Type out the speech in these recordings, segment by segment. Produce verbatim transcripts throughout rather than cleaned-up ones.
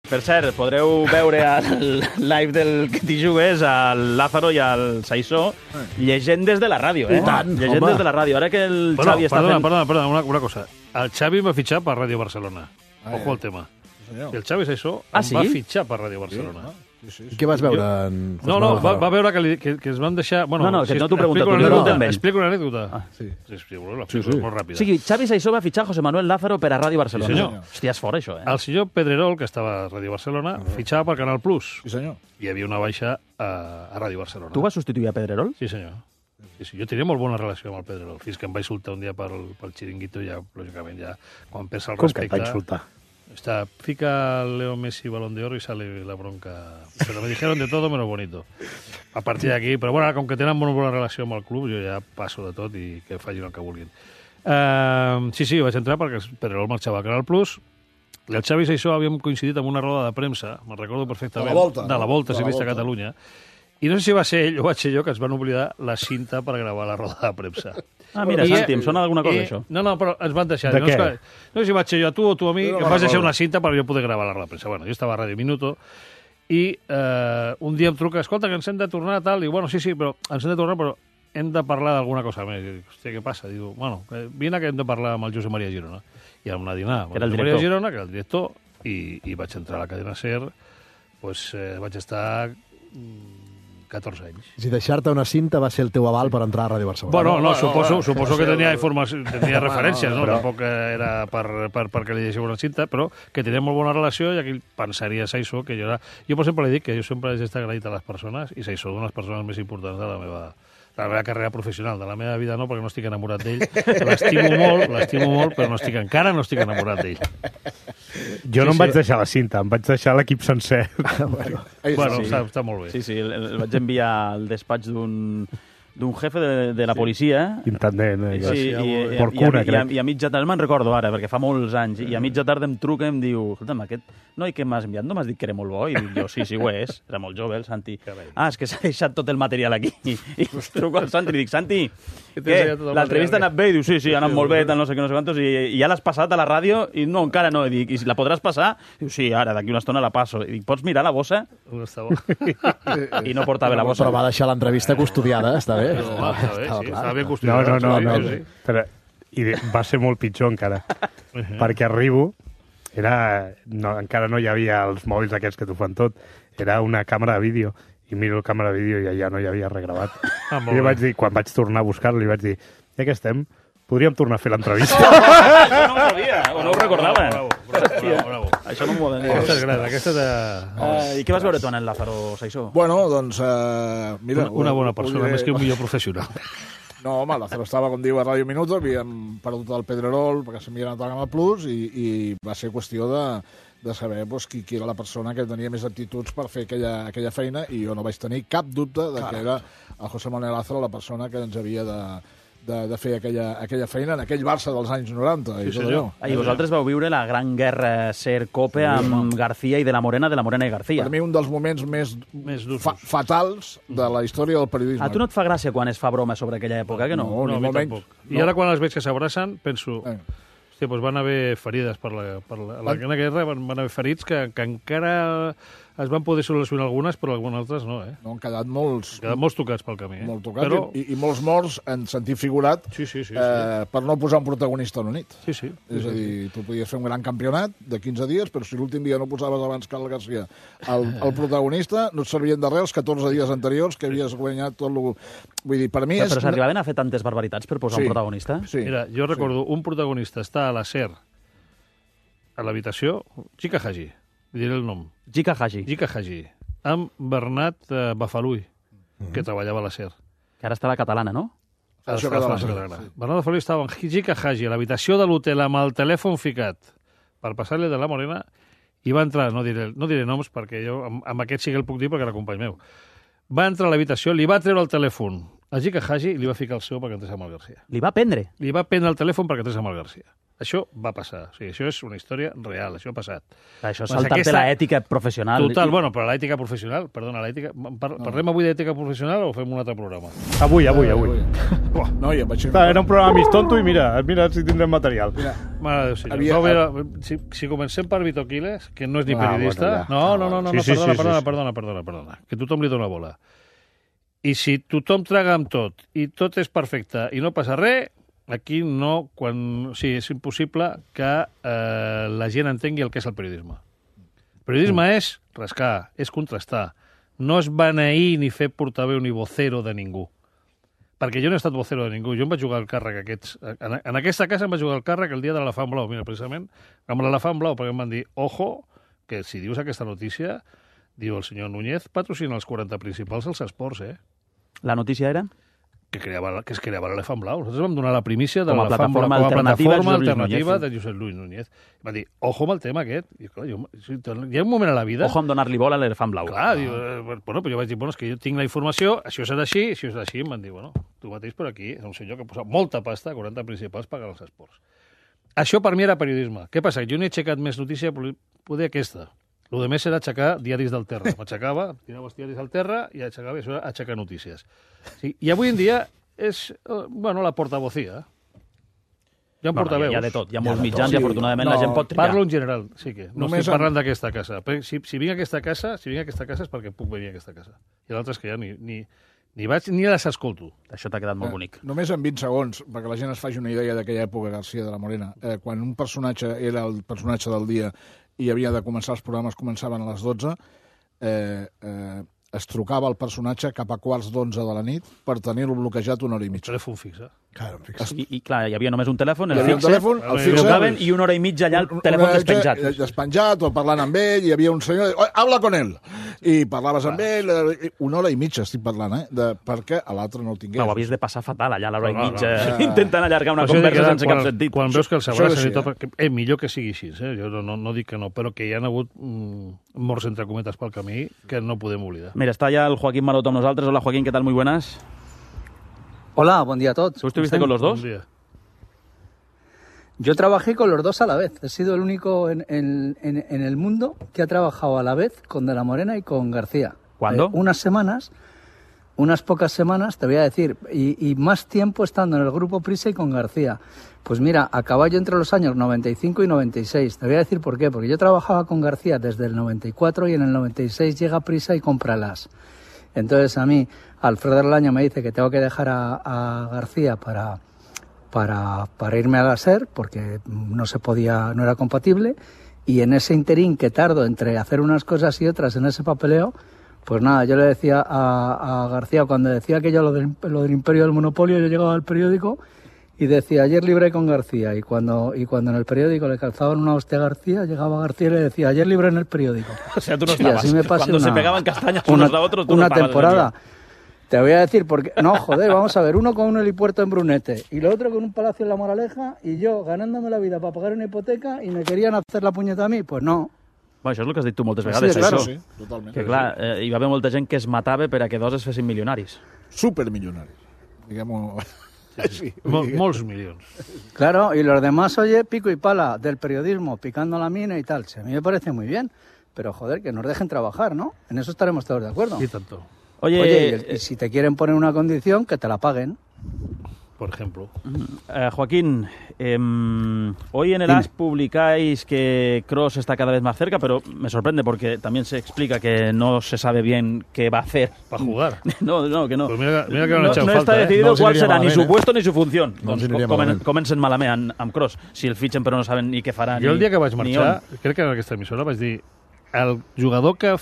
Per cert, podreu veure el live del que t'hi jugues, al Lázaro i al Saissó, llegendes de la ràdio, eh? I tant, llegendes home. de la ràdio. Ara que el Bueno, Xavi està perdona, fent... perdona, perdona, una, una cosa. El Xavi va fitxar per Ràdio Barcelona. Ojo al tema. Senyor. El Xavi Saissó Ah, em sí? va fitxar per Ràdio Barcelona. Sí, sí, I sí. què vas veure? En No, no, va, va veure que, li, que, que es van deixar... Bueno, No, no, que no t'ho pregunto, explico t'ho una pregunto anècdota, amb ell. Explico una anècdota. Ah, sí. Sí, sí, bueno, l'explico, Sí, sí. molt O ràpida. sigui, Xavi Saissó va fitxar José Manuel Lázaro per a Ràdio Barcelona. Sí, senyor. Hòstia, és fort, això, eh? El senyor Pedrerol, que estava a Ràdio Barcelona, fitxava per Canal Plus. Sí, senyor. Hi havia una baixa a, a Ràdio Barcelona. Tu vas substituir a Pedrerol? Sí, senyor. Sí, sí. Jo tenia molt bona relació amb el Pedrerol, fins que em va insultar un dia pel, pel xiringuito, ja, lògicament, ja, quan perds el Com que et respecte... va insultar? Está, fica Leo Messi Balón de Oro y sale la bronca. Pero me dijeron de todo menos bonito. A partir d'aquí, però bueno, com que tenen molt bona relació amb el club, jo ja passo de tot i que facin el que vulguin. Uh, sí, sí, vaig entrar perquè Pedrerol marxava a Canal Plus. El Xavi i això havíem coincidit en una roda de premsa, me'n recordo perfectament. De la Volta, De la no? Volta, De la ciclista a Volta. Catalunya. I no sé si va ser ell o vaig ser jo que es van oblidar la cinta per gravar la roda de premsa. Ah, mira, I, Santi, em sona d'alguna cosa, i- això. No, no, però ens van deixar. De no, què? és que, no sé si vaig ser jo a tu o tu a mi, Jo no que me'n em vas deixar recordo. una cinta per jo poder gravar la roda de premsa. Bueno, jo estava a Ràdio Minuto i eh, un dia em truca, escolta, que ens hem de tornar, tal, i bueno, sí, sí, però ens hem de tornar, però hem de parlar d'alguna cosa més. I dic, hòstia, què passa? Diu, bueno, eh, vine que hem de parlar amb el Josep Maria Girona. I vam anar a dinar amb Que era el Josep Maria director. Girona, que era el director, i, i vaig entrar a la cadena SER, pues, eh, vaig estar mm, catorze anys. Si deixar-te una cinta va ser el teu aval per entrar a Ràdio Barcelona. Bueno, no, no, suposo, no, suposo no que sé, tenia no. informació, tenia referències, no? però- Tampoc era per, per, perquè li deixés una cinta, però que tenia molt bona relació i aquí pensaria Saissó que jo era... Jo, per exemple, li dic que jo sempre he estat agraït a les persones i Saissó d'unes persones més importants de la meva de la meva carrera professional, de la meva vida no, perquè no estic enamorat d'ell. L'estimo molt, l'estimo molt, però no estic, encara no estic enamorat d'ell. Jo no Sí, em vaig sí. deixar la cinta, em vaig deixar l'equip sencer. Ahí està. Bueno, sí. està, està molt bé. Sí, sí, el, el vaig enviar al despatx d'un d'un jefe de, de la policia. Intendent. Eh? Sí, i, Gràcies, i, molt bé. i, Por i, cuna, a, i, a, crec. i a mitja tarda, me'n recordo ara, perquè fa molts anys, i a mitja tarda em truca i em diu, escolta'm, aquest noi que m'has enviat no m'has dit que era molt bo? I dic jo, sí, sí, ho és, era molt jove el Santi. Carai. Ah, és que s'ha deixat tot el material aquí. I, i truco al Santi i li dic, Santi, Que t'he què? ensenyat tot el L'entrevista ha material, anat bé? I diu, sí, sí, ha anat molt bé, tal, no sé què, no sé quantos, i, i ja l'has passat a la ràdio? I no, encara no. I dic, i la podràs passar? Diu, sí, ara, d'aquí una estona la passo. I dic, pots mirar la bossa? No està bo. I no portava la bossa. Però va deixar l'entrevista custodiada, està bé. No, va, està bé, sí, està ben No, custodiat. no, no, no. Sí, sí. Però, i va ser molt pitjor encara, perquè arribo, era, no, encara no hi havia els mòbils aquests que t'ho fan tot, era una càmera de vídeo, i miro la càmera de vídeo i allà no hi havia regravat. Ah, molt I li bé. vaig dir, quan vaig tornar a buscar-lo, li vaig dir, ja que estem, podríem tornar a fer l'entrevista. Això no ho sabia, o no ho recordava. Bravo, bravo, bravo, bravo. Això no m'ho poden dir. Aquesta és gran, aquesta de... Uh, I què vas veure tu en el Lázaro Saissó? Bueno, doncs, eh, mira... Una, una bona ho- ho persona, diré- més que un millor professional. No, home, Lázaro estava, com diu, a Ràdio Minuto, havíem perdut el Pedrerol perquè s'havia anat a Canal Plus i, i va ser qüestió de, de saber doncs, qui, qui era la persona que tenia més aptituds per fer aquella, aquella feina i jo no vaig tenir cap dubte de que era el José Manuel Lázaro la persona que ens havia de, de, de fer aquella, aquella feina en aquell Barça dels anys noranta i Sí, tot senyor. allò. Ah, I vosaltres vau viure la gran guerra Ser-Cope amb García i de la Morena, de la Morena i García. Per mi un dels moments més, Més durs. fa, fatals de la història del periodisme. A tu no et fa gràcia quan es fa broma sobre aquella època, que no? No, No, ni a mi molt tampoc. menys. I ara quan els veig que s'abracen, penso... Eh. Hòstia, doncs van haver ferides per la, per la, la, la guerra, van, van haver ferits que, que encara es van poder solucionar algunes, però algunes altres no, eh? No, han quedat molts, Han quedat molts tocats pel camí, eh? molt tocats Però... i, i molts morts en sentit figurat Sí, sí, sí. sí. eh, per no posar un protagonista a la nit. Sí, sí. És a dir, tu podies fer un gran campionat de quinze dies, però si l'últim dia no posaves abans Carles García el, el protagonista, no et servien de res els catorze dies anteriors que havies guanyat tot el... Vull dir, per mi Però, és... però s'arribaven a fer tantes barbaritats per posar Sí. un protagonista? Sí. Mira, jo recordo un protagonista està a la SER, a l'habitació, Chica Haji, diré el nom, Jika Haji, Chica Haji, amb Bernat eh, Bafalui, que treballava a la SER. que ara està a la catalana, no? Això Està a la catalana, catalana. sí. Bernat Bafalui estava amb Chica Haji a l'habitació de l'hotel amb el telèfon ficat per passar-li de la Morena i va entrar, no diré, no diré noms perquè jo amb, amb aquest sí que el puc dir perquè era company meu. Va entrar a l'habitació, li va treure el telèfon a Chica Haji i li va ficar el seu perquè entrés amb el García. Li va prendre. Li va prendre el telèfon perquè entrés amb el García. Això va passar. O sigui, això és una història real, això ha passat. Això és saltar-te aquesta... l'ètica professional. Total, bueno, però l'ètica professional, perdona, l'ètica... Par no. Parlem avui d'ètica professional o fem un altre programa? Avui, avui, avui. avui. No, ja vaig... Era un programa mig tonto i mira, mira si tindrem material. Mira, Mare de Déu, senyor. Havia... No, mira, si, si comencem per Vito Quiles, que no és ni ah, periodista... Bueno, no, no, no, no, sí, no sí, perdona, sí, perdona, sí, perdona, perdona, perdona, que tothom li dona bola. I si tothom traga amb tot i tot és perfecte i no passa res... Aquí no, quan... O sigui, és impossible que eh, la gent entengui el que és el periodisme. El periodisme mm. és rascar, és contrastar. No és beneir ni fer portaveu ni vocero de ningú. Perquè jo no he estat vocero de ningú. Jo em vaig jugar el càrrec aquests... En, en aquesta casa em vaig jugar el càrrec el dia de l'elefant blau, mira, precisament, amb l'elefant blau, perquè em van dir, ojo, que si dius aquesta notícia, diu el senyor Núñez, patrocina els quaranta principals als esports, eh? La notícia era? Que, creava, que es creava l'elefant blau. Nosaltres vam donar la primícia de l'elefant blau com a alternativa, alternativa de Josep Lluís Núñez. Va dir, ojo amb el tema aquest. I, clar, jo, hi ha un moment a la vida... Ojo amb donar-li bola a l'elefant blau. Clar, diu, eh, bueno, però jo vaig dir, bueno, és que jo tinc la informació, això serà així, això serà així. Em van dir, bueno, tu mateix per aquí, és un senyor que posa molta pasta, quaranta principals, pagar els esports. Això per mi era periodisme. Què passa? Jo no he aixecat més notícia, poder aquesta. El de més era aixecar diaris del terra. M'aixecava, tirava els diaris al terra i aixecava, això era aixecar notícies. Sí, i avui en dia és, bueno, la portavocía. Hi ha bueno, portaveus. Hi ha de tot, hi ha molts mitjans sí, i afortunadament no, la gent pot triar. Parlo en general, sí que. No Només estic parlant en... d'aquesta casa. Si, si vinc a aquesta casa, si vinc a aquesta casa és perquè puc venir a aquesta casa. I l'altre és que ja ni, ni, ni vaig ni les escolto. Això t'ha quedat molt eh, bonic. Només en vint segons, perquè la gent es faci una idea d'aquella època, García de la Morena. Eh, quan un personatge era el personatge del dia i havia de començar els programes, començaven a les dotze, eh, eh, es trucava el personatge cap a quarts d'onze de la nit per tenir-lo bloquejat una hora i mitja. Telèfon fix, eh? Claro, fix. I, I, clar, hi havia només un telèfon, el fixe, fixe, un telèfon, el fixe, trucaven i una hora i mitja allà el telèfon despenjat. Despenjat, o parlant amb ell, hi havia un senyor, oh, habla con ell, i parlaves amb ell, una hora i mitja estic parlant, eh, de, perquè a l'altre no el tingués. Clar, ho havies de passar fatal allà, l'hora i mitja, no, no, intentant allargar una conversa sense cap sentit. Quan veus que el Sabrà s'ha dit, eh, millor que sigui així, eh? Jo no, no dic que no, però que hi ha hagut mm, morts entre cometes pel camí que no podem oblidar. Mira, està ja el Joaquín Maroto amb nosotros. Hola, Joaquín, ¿qué tal? Muy buenas. Hola, buen día a todos. ¿Tú estuviste con los dos? Yo trabajé con los dos a la vez. He sido el único en, en, en, en el mundo que ha trabajado a la vez con De la Morena y con García. ¿Cuándo? Eh, unas semanas, unas pocas semanas, te voy a decir, y, y más tiempo estando en el grupo Prisa y con García. Pues mira, a caballo entre los años noventa y cinco y noventa y seis. Te voy a decir por qué. Porque yo trabajaba con García desde el noventa y cuatro y en el noventa y seis llega Prisa y compra las. Entonces a mí, Alfredo Erlaño me dice que tengo que dejar a, a García para, para, para irme a la SER porque no se podía, no era compatible, y en ese interín que tardo entre hacer unas cosas y otras en ese papeleo, pues nada, yo le decía a, a García, cuando decía aquello lo del, lo del imperio del monopolio, yo llegaba al periódico y decía, ayer libré con García, y cuando, y cuando en el periódico le calzaban una hostia a García, llegaba García y le decía, ayer libré en el periódico. O sea, tú no estabas. Y así me pasé cuando una, se pegaban castañas una, unos a otros, tú una no estabas. temporada. Te voy a decir, porque no, joder, vamos a ver, uno con un helipuerto en Brunete, y lo otro con un palacio en La Moraleja, y yo ganándome la vida para pagar una hipoteca, y me querían hacer la punyeta a mi, pues no. Bueno, això és el que has dit tu moltes vegades. Sí, claro. Sí, totalment. Que clar, eh, hi va haver molta gent que es matava per a que dos es fessin milionaris. Supermilionaris. Diguem-ho... Sí, Mol, molts milions. Claro, y los demás, oye, pico y pala del periodismo, picando la mina y tal. Sí, a mí me parece muy bien, pero joder, que nos dejen trabajar, ¿no? En eso estaremos todos de acuerdo. Y tanto. Oye, oye y, el, y si te quieren poner una condición, que te la paguen. Por ejemplo. Uh, Joaquín, eh, hoy en el A S publicáis que Kroos está cada vez más cerca, pero me sorprende porque también se explica que no se sabe bien qué va a hacer. Para jugar. No, no, que no. Pues mira, mira que no, no, no falta, està eh? decidido no cuál será malament, ni su puesto eh? ni su función. No doncs comen, comencen malament amb, amb Kroos. Si el fitxen però no saben ni què farà. Jo el dia que vaig marxar, marxar, crec que en aquesta emissora vaig dir el jugador que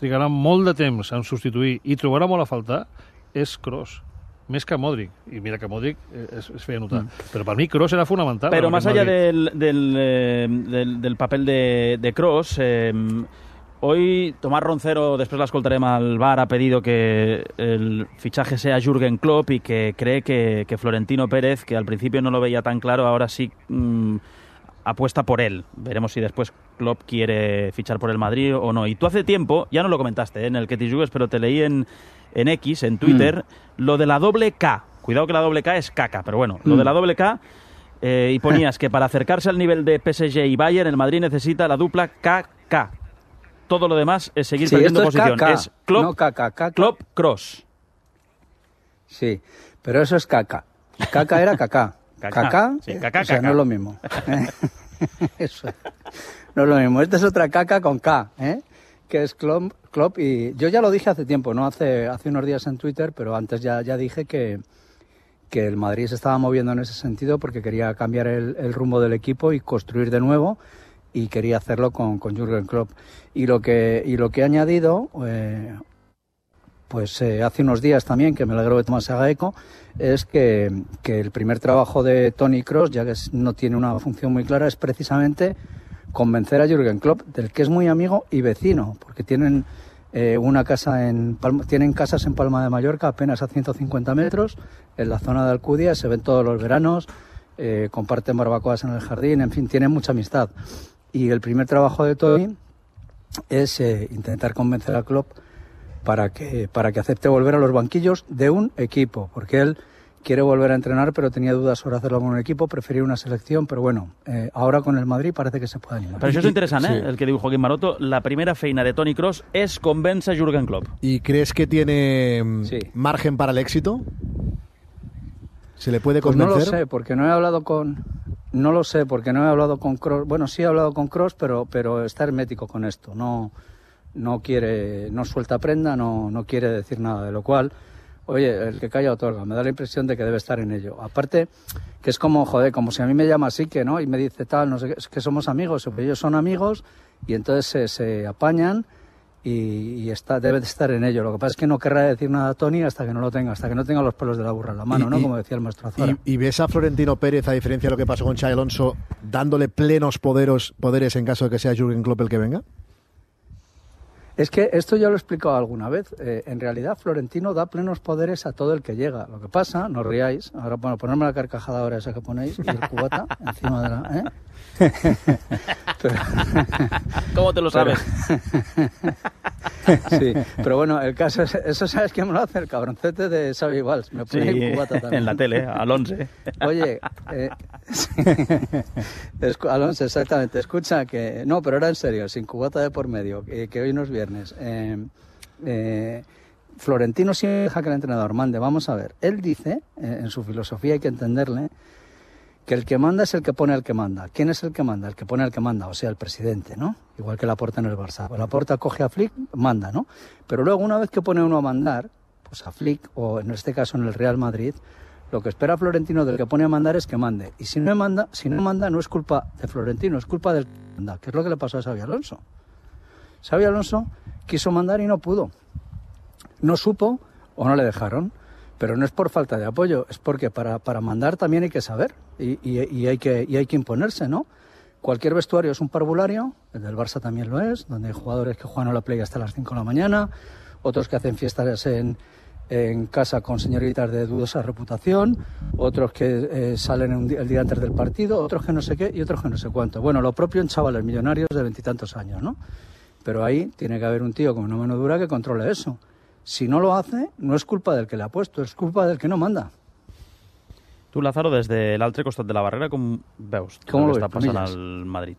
trigarà molt de temps en substituir i trobarà molt a faltar és Kroos. Més que Modric, i mira que Modric es, es feia notar, mm. però per mi Kroos era fonamental. Pero más allá del, del, eh, del, del papel de, de Kroos, eh, hoy Tomás Roncero, después la escoltarem al bar, ha pedido que el fichaje sea Jürgen Klopp y que cree que, que Florentino Pérez, que al principio no lo veía tan claro, ahora sí mmm, apuesta por él. Veremos si después Klopp quiere fichar por el Madrid o no. Y tú hace tiempo, ya no lo comentaste ¿eh? en el que te jugues, pero te leí en... en X, en Twitter, mm. lo de la doble K. Cuidado que la doble K es caca, pero bueno, mm. lo de la doble K, Eh, y ponías que para acercarse al nivel de P S G y Bayern, el Madrid necesita la dupla K K. Todo lo demás es seguir Sí, perdiendo esto es posición. K K, Es Klopp, no K K, K K. Klopp, Kroos. Sí, pero eso es caca. Caca era caca. Caca, Caca, sí, caca, o sea, caca. no es lo mismo. Eso es. No es lo mismo. Esta es otra caca con K, ¿eh? Que es Klopp, Klopp. Y yo ya lo dije hace tiempo, no hace, hace unos días en Twitter, pero antes ya, ya dije que, que el Madrid se estaba moviendo en ese sentido porque quería cambiar el, el rumbo del equipo y construir de nuevo, y quería hacerlo con, con Jürgen Klopp. Y lo que, y lo que he añadido, eh, pues eh, hace unos días también, que me alegro que Tomás se haga eco, es que, que el primer trabajo de Toni Kroos, ya que es, no tiene una función muy clara, es precisamente convencer a Jürgen Klopp, del que es muy amigo y vecino, porque tienen eh, una casa en Palma, tienen casas en Palma de Mallorca apenas a ciento cincuenta metros, en la zona de Alcudia, se ven todos los veranos, eh, comparten barbacoas en el jardín, en fin, tienen mucha amistad. Y el primer trabajo de Toni es eh, intentar convencer a Klopp para que, para que acepte volver a los banquillos de un equipo, porque él quiere volver a entrenar, pero tenía dudas sobre hacerlo con un equipo, prefería una selección, pero bueno, eh, ahora con el Madrid parece que se puede animar. Però això és interessant, eh? Sí. El que diu Joaquín Maroto. La primera feina de Toni Kroos es convence a Jürgen Klopp. ¿Y crees que tiene mm, Sí. margen para el éxito? ¿Se le puede Pues no convencer? lo sé, porque no he hablado con... No lo sé, porque no he hablado con Kroos. Bueno, sí he hablado con Kroos, pero, pero está hermético con esto. No, no quiere, no suelta prenda, no, no quiere decir nada, de lo cual, oye, el que calla otorga. Me da la impresión de que debe estar en ello. Aparte, que es como, joder, como si a mí me llama así, que no, y me dice tal, no sé qué, es que somos amigos, ellos son amigos, y entonces se, se apañan y, y está, debe de estar en ello. Lo que pasa es que no querrá decir nada a Toni hasta que no lo tenga, hasta que no tenga los pelos de la burra en la mano, Y- ¿no? y- Como decía el maestro Azora. ¿Y, y ves a Florentino Pérez, a diferencia de lo que pasó con Xabi Alonso, dándole plenos poderos, poderes en caso de que sea Jürgen Klopp el que venga? Es que esto ya lo he explicado alguna vez. Eh, en realidad, Florentino da plenos poderes a todo el que llega. Lo que pasa, no os riáis, ahora bueno, ponerme la carcajada ahora esa que ponéis y el cubata encima de la... ¿eh? Pero- ¿Cómo te lo sabes? sí, pero bueno, el caso es, eso sabes quién me lo hace, el cabroncete de Xavi Valls. Me Sí, pone el cubata también. en la tele, al once. Oye, eh, sí. Escu- Alonso, exactamente. Escucha que... No, pero era en serio, sin cubata de por medio, que, que hoy no es viernes. Eh, eh, Florentino siempre deja que el entrenador mande. Vamos a ver, él dice, eh, en su filosofía hay que entenderle, que el que manda es el que pone al que manda. ¿Quién es el que manda? El que pone al que manda, o sea, el presidente, ¿no? Igual que Laporta en el Barça. Pues Laporta coge a Flick, manda, ¿no? Pero luego, una vez que pone uno a mandar, pues a Flick, o en este caso en el Real Madrid, lo que espera Florentino del que pone a mandar es que mande. Y si no manda, si no manda, no es culpa de Florentino, es culpa del que manda, que es lo que le pasó a Xabi Alonso. Xabi Alonso quiso mandar y no pudo. No supo o no le dejaron. Pero no es por falta de apoyo, es porque para, para mandar también hay que saber y, y, y, hay que, y hay que imponerse, ¿no? Cualquier vestuario es un parvulario, el del Barça también lo es, donde hay jugadores que juegan a la play hasta las cinco de la mañana, otros que hacen fiestas en, en casa con señoritas de dudosa reputación, otros que eh, salen un día- el día antes del partido, otros que no sé qué y otros que no sé cuánto. Bueno, lo propio en chavales millonarios de veintitantos años, ¿no? Pero ahí tiene que haber un tío con una mano dura que controle eso. Si no lo hace, no es culpa del que le ha puesto, es culpa del que no manda. Tu, Lázaro, des de l'altre costat de la barrera, com veus Com el lo que ves, està passant Punillas? al Madrid?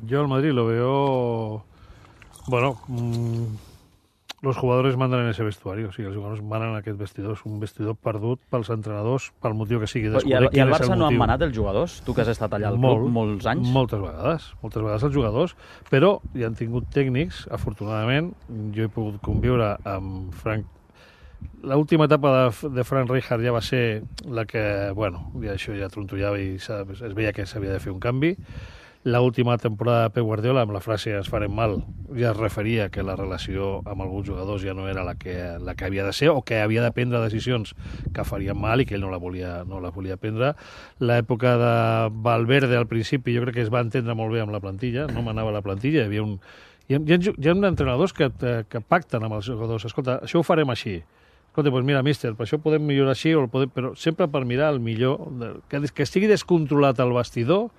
Yo al Madrid lo veo... Bueno, mm, los jugadores mandan en ese vestuario, sí, els jugadors manen en aquest vestidor. És un vestidor perdut pels entrenadors, pel motiu que sigui. I, Desconec al, I quin al és el Barça no han motiu. manat els jugadors? Tu que has estat allà al club molts anys? Moltes vegades, moltes vegades els jugadors, però hi han tingut tècnics, afortunadament, jo he pogut conviure amb Frank. L'última etapa de, de Frank Rijkaard ja va ser la que, bueno, ja això ja trontollava i es veia que s'havia de fer un canvi. L'última temporada de Pep Guardiola, amb la frase "ens farem mal", ja es referia que la relació amb alguns jugadors ja no era la que, la que havia de ser, o que havia de prendre decisions que farien mal i que ell no la volia, no la volia prendre. L'època de Valverde, al principi, jo crec que es va entendre molt bé amb la plantilla, no manava la plantilla, hi havia un... Hi ha, hi ha, hi ha entrenadors que, que pacten amb els jugadors. Escolta, això ho farem així. Escolta, doncs mira, míster, per això podem millorar així, o el podem... però sempre per mirar el millor, que, que estigui descontrolat el vestidor.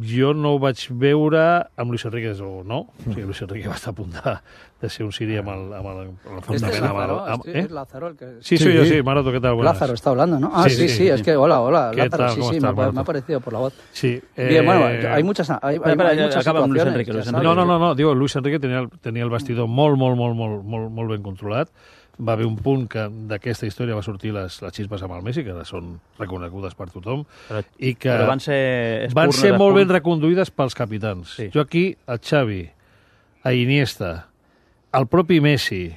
jo no ho vaig veure amb Luis Enrique, des o no. O sigui, Luis Enrique va estar a punt de, de ser un siri amb el, amb el, amb el Este es amb el, Lázaro, amb, este eh? es Lázaro el que... Sí, soy yo, sí. Maroto, ¿qué tal? Buenas. Lázaro está hablando, ¿no? Ah, Sí, sí, sí, sí, sí. es que, hola, hola, ¿Qué Lázaro, tal? sí, ¿Cómo sí, estás, me, ha- Maroto? me ha parecido por la voz. Sí. Bien, bueno, eh, hay muchas, hay, hay, espera, hay ya muchas acaba amb Luis situaciones, Enrique, ya Luis sabes. No, no, no, no, digo, Luis Enrique tenia, el- tenia el vestidor molt, molt, molt, molt, molt, molt, molt ben controlat. Va haver un punt que d'aquesta història va sortir les, les xispes amb el Messi, que ara són reconegudes per tothom, Però, i que però van ser... van espurnes ser de molt ben punt. reconduïdes pels capitans. Sí. Jo aquí, a Xavi, a Iniesta, al propi Messi,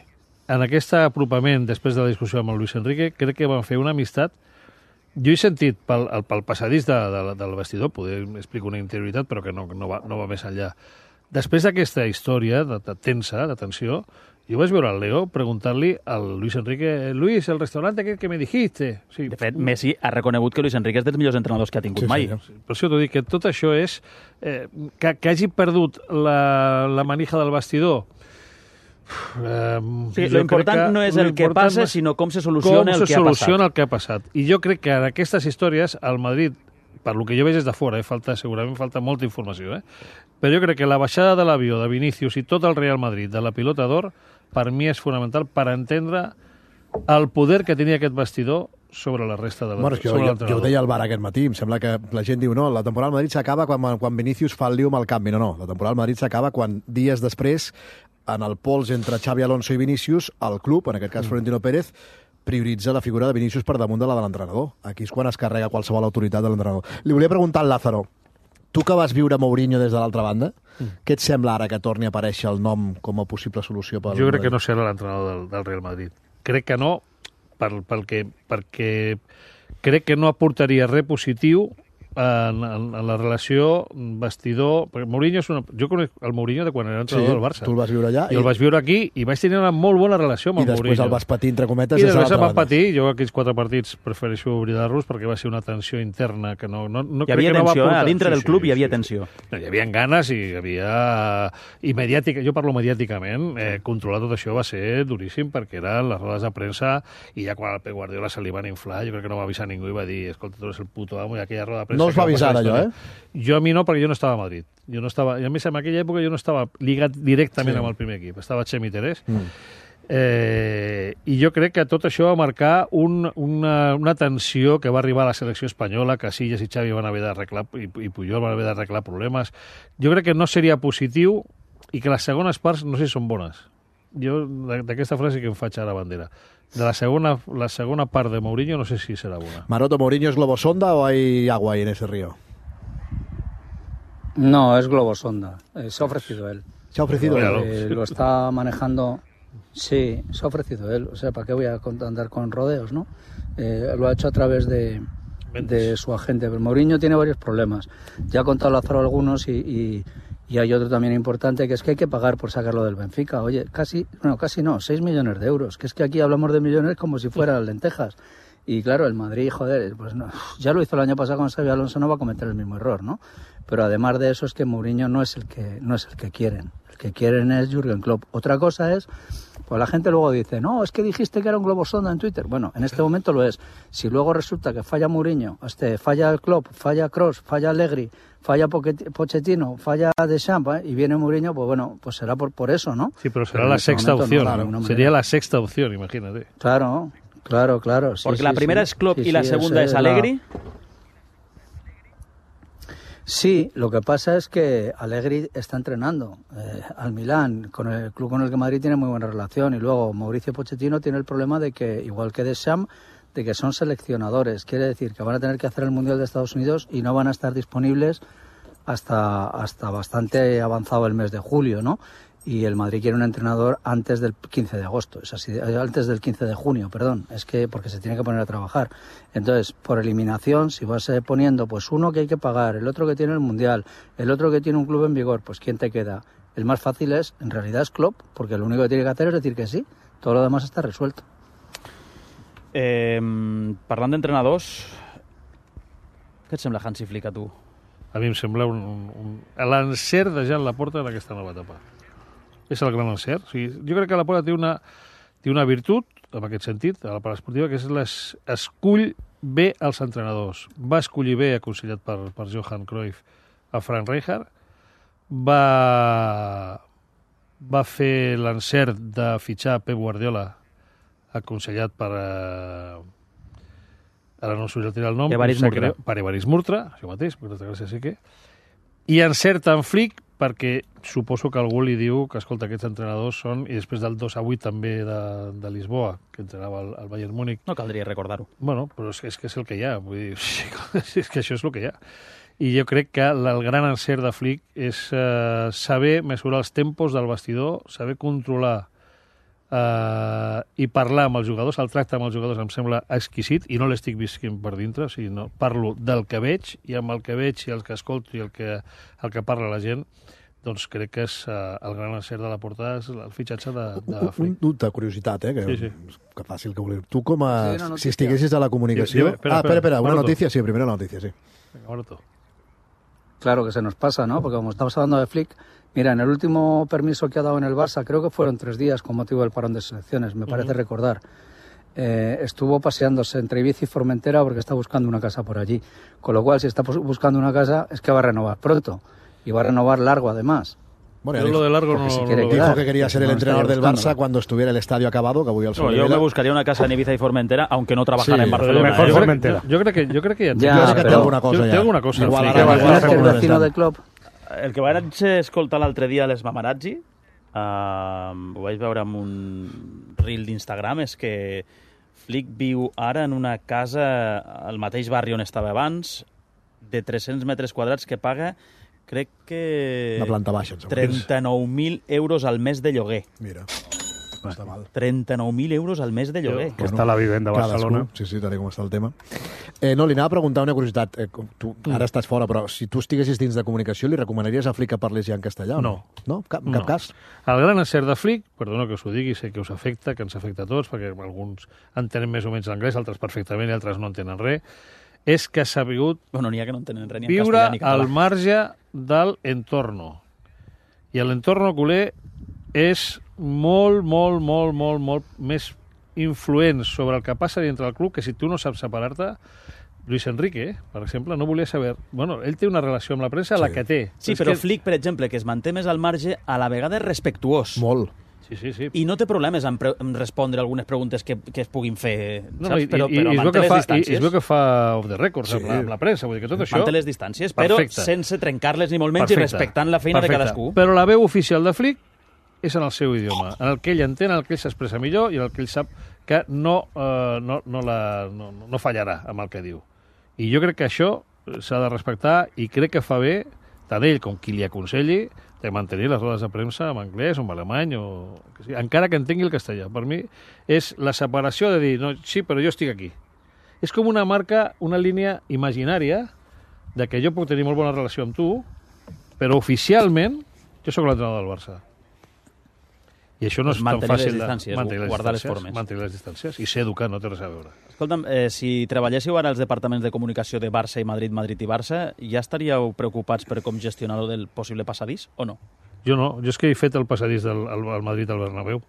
en aquest apropament després de la discussió amb el Luis Enrique, crec que van fer una amistat. Jo he sentit pel, el- pel passadís de, de, del vestidor, poder explicar una interioritat, però que no, no, va, no va més enllà. Després d'aquesta història de, de tensa, de tensió, jo vaig veure el Leo preguntant-li al Luis Enrique, Luis, el restaurante aquell que me dijiste. Sí, De fet, Messi ha reconegut que Luis Enrique és dels millors entrenadors que ha tingut Sí, mai. senyor. per això t'ho dic, que tot això és... Eh, que, que hagi perdut la, la manija del vestidor. Eh, Sí, jo lo important crec que no és el que l'important passa, no és sinó com se soluciona com el se que ha soluciona passat. el que ha passat. I jo crec que en aquestes històries, el Madrid, per lo que jo veig des de fora, eh, falta, segurament falta molta informació, eh? però jo crec que la baixada de l'avió de Vinícius i tot el Real Madrid de la pilota d'or, per mi és fonamental per entendre el poder que tenia aquest vestidor sobre la resta de la, Bueno, és que jo, sobre jo, jo l'entrenador. ho deia al bar aquest matí, em sembla que la gent diu no, la temporada al Madrid s'acaba quan, quan Vinícius fa el liu amb el canvi. No, no, la temporada al Madrid s'acaba quan dies després, en el pols entre Xavi Alonso i Vinícius, el club, en aquest cas Florentino Pérez, prioritza la figura de Vinícius per damunt de la de l'entrenador. Aquí és quan es carrega qualsevol autoritat de l'entrenador. Li volia preguntar al Lázaro, tu que vas viure Mourinho des de l'altra banda, què et sembla ara que torni a aparèixer el nom com a possible solució pel Jo crec que Madrid? no serà l'entrenador del, del Real Madrid. Crec que no, per, perquè, perquè crec que no aportaria res positiu en, en, en la relació vestidor... Perquè Mourinho és una... Jo conec el Mourinho de quan era entrenador del Barça. tu el vas viure allà I el vaig viure aquí i vaig tenir una molt bona relació amb i el després Mourinho. el vas patir, entre cometes, I des de després em l'altra van banda. patir. Jo aquells quatre partits prefereixo oblidar-los perquè va ser una tensió interna que no, no, no Hi havia crec que no va tensió, eh? portar... A dintre Sí, del sí, club hi sí, havia sí. tensió. No, hi havia ganes i hi havia... I mediàtica, jo parlo mediàticament, eh, controlar tot això va ser duríssim perquè eren les rodes de premsa i ja quan al Pep Guardiola se li van inflar, jo crec que no va avisar ningú i va dir, escolta, tu eres el puto amo i aquella roda de premsa... No us que va avisar passar la allò, història. Jo a mi no, perquè jo no estava a Madrid. Jo no estava... I a més, en aquella època jo no estava lligat directament Sí. amb el primer equip. Estava Xemi Terés. Mm. Eh, I jo crec que tot això va marcar un, una, una tensió que va arribar a la selecció espanyola, que Casillas i Xavi van haver d'arreglar, i, i Puyol van haver d'arreglar problemes. Jo crec que no seria positiu i que les segones parts no sé si són bones. Jo d'aquesta frase que em faig ara bandera. De la segona, la segona part de Mourinho no sé si serà bona. Maroto, ¿Mourinho es globosonda o hay agua ahí en ese río? No, es globosonda. Eh, se ha ofrecido él. ¿Se ha ofrecido? Míralo. Eh, lo está manejando. Sí, se ha ofrecido él. O sea, ¿para qué voy a con- andar con rodeos, no? Eh, lo ha hecho a través de, de su agente. Pero Mourinho tiene varios problemas. Ya ha contado Lázaro algunos y, y, y hay otro también importante, que es que hay que pagar por sacarlo del Benfica. Oye, casi, bueno, casi no, seis millones de euros. Que es que aquí hablamos de millones como si fueran lentejas. Y claro, el Madrid, joder, pues no, ya lo hizo el año pasado con Xabi Alonso, no va a cometer el mismo error, ¿no? Pero además de eso es que Mourinho no es el que no es el que quieren. El que quieren es Jürgen Klopp. Otra cosa es, pues la gente luego dice, no, es que dijiste que era un globosonda en Twitter. Bueno, en este momento lo es. Si luego resulta que falla Mourinho, este, falla el Klopp, falla Kroos, falla Allegri, falla Poquet- Pochettino, falla Deschamps, ¿eh? Y viene Mourinho, pues bueno, pues será por, por eso, ¿no? Sí, pero será Pero en la este sexta momento no, opción. de ninguna Sería manera. la sexta opción, imagínate. Claro, claro, claro. sí, Porque sí, la primera sí. es Klopp Sí, y la sí, segunda es la- Allegri. Sí, lo que pasa es que Allegri está entrenando eh, al Milán, con el club con el que Madrid tiene muy buena relación, y luego Mauricio Pochettino tiene el problema de que, igual que Deschamps, de que son seleccionadores. Quiere decir que van a tener que hacer el Mundial de Estados Unidos y no van a estar disponibles hasta, hasta bastante avanzado el mes de julio, ¿no? Y el Madrid quiere un entrenador antes del quince de agosto, es así, antes del quince de junio, perdón, es que porque se tiene que poner a trabajar. Entonces, por eliminación, si vas eh, poniendo pues uno que hay que pagar, el otro que tiene el Mundial, el otro que tiene un club en vigor, pues ¿quién te queda? El más fácil es, en realidad es Klopp, porque lo único que tiene que hacer es decir que sí, todo lo demás está resuelto. Eh, parlant d'entrenadors, què et sembla Hansi Flick a tu? A mi em sembla un, un, un l'encert de Jan Laporta en aquesta nova etapa. És el gran encert. O sigui, jo crec que Laporta té una, té una virtut, en aquest sentit, a la part esportiva, que és les, escull bé els entrenadors. Va escollir bé, aconsellat per, per Johan Cruyff, a Frank Rijkaard, va, va fer l'encert de fitxar Pep Guardiola, aconsellat per... Eh, ara no us sortirà el nom. Evarist Murtra. Per Evarist Murtra, això mateix, moltes gràcies, sí que... I encerta en Flick perquè suposo que algú li diu que, escolta, aquests entrenadors són, i després del dos a vuit també de, de Lisboa, que entrenava el, el Bayern Múnich. No caldria recordar-ho. Bueno, però és, és que és el que hi ha, vull dir, és que això és el que hi ha. I jo crec que el, el gran encert de Flick és eh, saber mesurar els tempos del vestidor, saber controlar eh, i parlar amb els jugadors. El tracte amb els jugadors em sembla exquisit, i no l'estic visquint per dintre, o sigui, no, parlo del que veig, i amb el que veig i el que escolto i el que, el que parla la gent, doncs crec que és uh, el gran encert de la portada, és el fitxatge de, de un, un dubte, curiositat, eh? Que, sí, sí. que fàcil que voler. Tu com a... Sí, si estiguessis a la comunicació... Sí, espera, ah, espera, espera, una Maroto. noticia, sí, primero la noticia, sí. Venga, Maroto. Claro que se nos pasa, ¿no? Porque como estamos hablando de Flick, mira, en el último permiso que ha dado en el Barça, creo que fueron tres días con motivo del parón de selecciones, me parece uh-huh. recordar. Eh, estuvo paseándose entre Ibiza y Formentera porque está buscando una casa por allí. Con lo cual, si está buscando una casa, es que va a renovar pronto. Y va a renovar largo, además. Bueno, Yo lo de largo no, si no quiere lo dijo quedar, que quería ser el no entrenador del buscando. Barça cuando estuviera el estadio acabado, que avui el No, yo me buscaría una casa en Ibiza y Formentera, aunque no trabajara Sí, en Barcelona. Mejor ¿eh? Formentera. Yo, yo creo que yo creo que ya, Ya, jo crec que té però- alguna cosa té ja. alguna cosa. Igual Sí, ara que va va- Imaginas que el va- vecino del club... El que vaig escoltar l'altre dia a les Mamarazzi, uh, ho vaig veure amb un reel d'Instagram, és que Flick viu ara en una casa al mateix barri on estava abans, de tres-cents metres quadrats, que paga, crec que... La planta baixa, em sembla. trenta-nou mil euros al mes de lloguer. Mira, no està mal. trenta-nou mil euros al mes de lloguer. Que està a la vivenda a Barcelona. Cadascú, sí, sí, tal com està el tema. Eh, no, li anava a preguntar una curiositat. Eh, com tu ara estàs fora, però si tu estiguessis dins de comunicació, li recomanaries a Flick que parlés ja en castellà? o No. No? Cap, en cap No. cas? El gran encert de Flick, perdona que us ho digui, sé que us afecta, que ens afecta a tots, perquè alguns entenem més o menys l'anglès, altres perfectament i altres no entenen res, és que s'ha sabut Bueno, n'hi ha que no entenen res ni en viure castellà ni català. al marge del entorno. I l'entorn culer és molt, molt, molt, molt, molt més influent sobre el que passa dintre del club que si tu no saps separar-te. Luis Enrique, per exemple, no volia saber... Bueno, ell té una relació amb la premsa, Sí. la que té. Sí, és però que... Flick, per exemple, que es manté més al marge, a la vegada és respectuós. Molt. Sí, sí, sí. I no té problemes en, pre en respondre algunes preguntes que, que es puguin fer, No, saps? i, Però, i, però i, es veu manté que les fa, i, distàncies. i es veu que fa off the records Sí. amb, la, amb la premsa, vull dir que tot això... Manté les distàncies, però Perfecte. sense trencar-les ni molt menys Perfecte. i respectant la feina Perfecte. de cadascú. Però la veu oficial de Flick és en el seu idioma, en el que ell entén, en el que ell s'expressa millor i en el que ell sap que no, eh, no, no, la, no, no fallarà amb el que diu. I jo crec que això s'ha de respectar i crec que fa bé, tant ell com qui li aconselli, de mantenir les rodes de premsa en anglès o en alemany, o que sigui, encara que entengui el castellà. Per mi és la separació de dir, no, sí, però jo estic aquí. És com una marca, una línia imaginària de que jo puc tenir molt bona relació amb tu, però oficialment jo sóc l'entrenador del Barça. I això no és Pues tan mantenir fàcil les distàncies, de mantenir les guardar les distàncies, formes. mantenir les distàncies i ser educat no té res a veure. Escolta'm, eh, si treballéssiu ara als departaments de comunicació de Barça i Madrid, Madrid i Barça, ja estaríeu preocupats per com gestionar el possible passadís o no? Jo no, jo és que he fet el passadís del al, al Madrid al Bernabéu.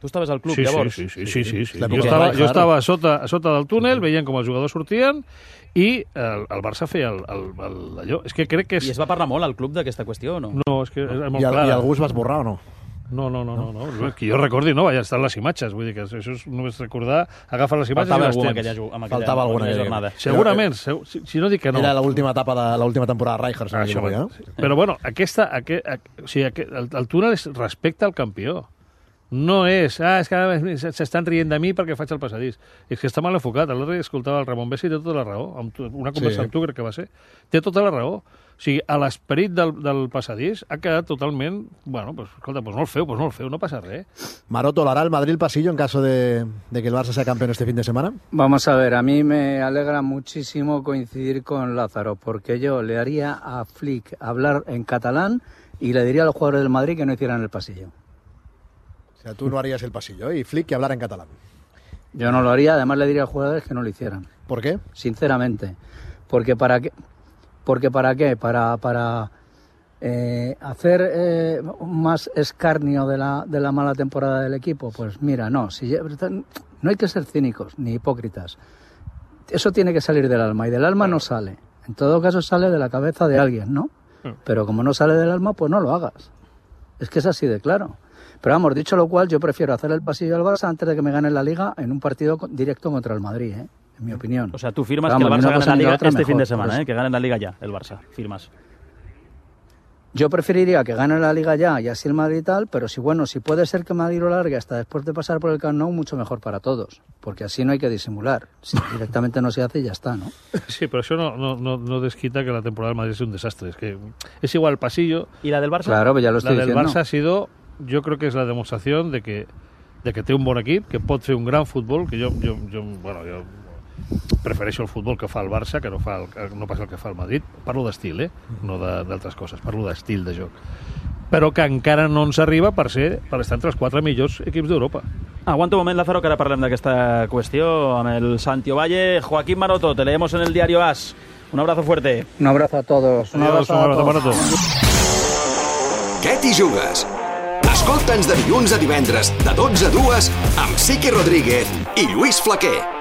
Tu estaves al club, Sí, llavors? sí, sí, sí, sí, sí, sí. La Jo, època estava, de jo Rijkaard. estava a sota, a sota del túnel, veient com els jugadors sortien i el, el Barça feia el, el, el, allò. És que crec que és... I es va parlar molt al club d'aquesta qüestió o no? No, és que és molt I, el, clara. I algú es va esborrar o no? No, no, no, no, no. no. Que jo recordi, no, vaja, estan les imatges. Vull dir que això és només recordar, agafar les imatges Faltava i les algú amb tens. aquella, ju- amb aquella, Faltava alguna aquella aquella. jornada. Segurament, segur, si, si no dic que no. Era l'última etapa de l'última temporada de Rijkaard, si no Això, m'equivoco, sí. eh? Però bueno, aquesta, aquest, o sigui, aquest, el, el túnel és respecte al campió. No és, ah, és que s'estan rient de mi perquè faig el passadís. És que està mal enfocat. L'altre dia escoltava el Ramon Bessi i té tota la raó. Amb tu, una conversa Sí. amb tu crec que va ser. Té tota la raó. O sigui, a l'esperit del, del passadís ha quedat totalment... Bueno, pues, escolta, pues no el feu, pues no el feu, no passa res. Maroto, ¿lo hará el Madrid el pasillo en caso de, de que el Barça sea campeón este fin de semana? Vamos a ver, a mí me alegra muchísimo coincidir con Lázaro, porque yo le haría a Flick hablar en catalán y le diría a los jugadores del Madrid que no hicieran el pasillo. O sea, tú no harías el pasillo, ¿eh? Y Flick que hablara en catalán. Yo no lo haría, además le diría a los jugadores que no lo hicieran, ¿Por qué? sinceramente. Porque para qué, porque para qué, para, para eh, hacer eh, más escarnio de la, de la mala temporada del equipo. Pues mira, no, si, no hay que ser cínicos ni hipócritas. Eso tiene que salir del alma y del alma no sale. En todo caso sale de la cabeza de alguien, ¿no? Pero como no sale del alma, pues no lo hagas. Es que es así de claro. Pero vamos, dicho lo cual, yo prefiero hacer el pasillo al Barça antes de que me gane la Liga en un partido directo contra el Madrid, ¿eh? En mi opinión. O sea, tú firmas que el Barça gane la Liga este fin de semana, ¿eh? Que gane la Liga ya, el Barça. Firmas. Yo preferiría que gane la Liga ya y así el Madrid y tal, pero si bueno, si puede ser que Madrid lo largue hasta después de pasar por el Camp Nou, mucho mejor para todos, porque así no hay que disimular. Si directamente no se hace y ya está, ¿no? Sí, pero eso no, no, no, no desquita que la temporada del Madrid es un desastre. Es que es igual el pasillo. ¿Y la del Barça? Claro, pues ya lo estoy La del diciendo. Barça ha sido, yo creo que es la demostración de que de que té un bon equip, que pot fer un gran futbol, que jo, jo, jo, bueno, jo prefereixo el futbol que fa el Barça, que no, fa el, no pas el que fa el Madrid. Parlo d'estil, eh? No d'altres coses. Parlo d'estil de joc. Però que encara no ens arriba per ser per estar entre els quatre millors equips d'Europa. Aguanta un moment, Lázaro, que ara parlem d'aquesta qüestió amb el Santi Ovalle. Joaquín Maroto, te leemos en el diario AS. Un abrazo fuerte. Un abrazo a todos. Un Adiós, abrazo, un abrazo, a Maroto. Què t'hi jugues? Escolta'ns de dilluns a divendres, de dotze a dues, amb Sique Rodríguez i Lluís Flaquer.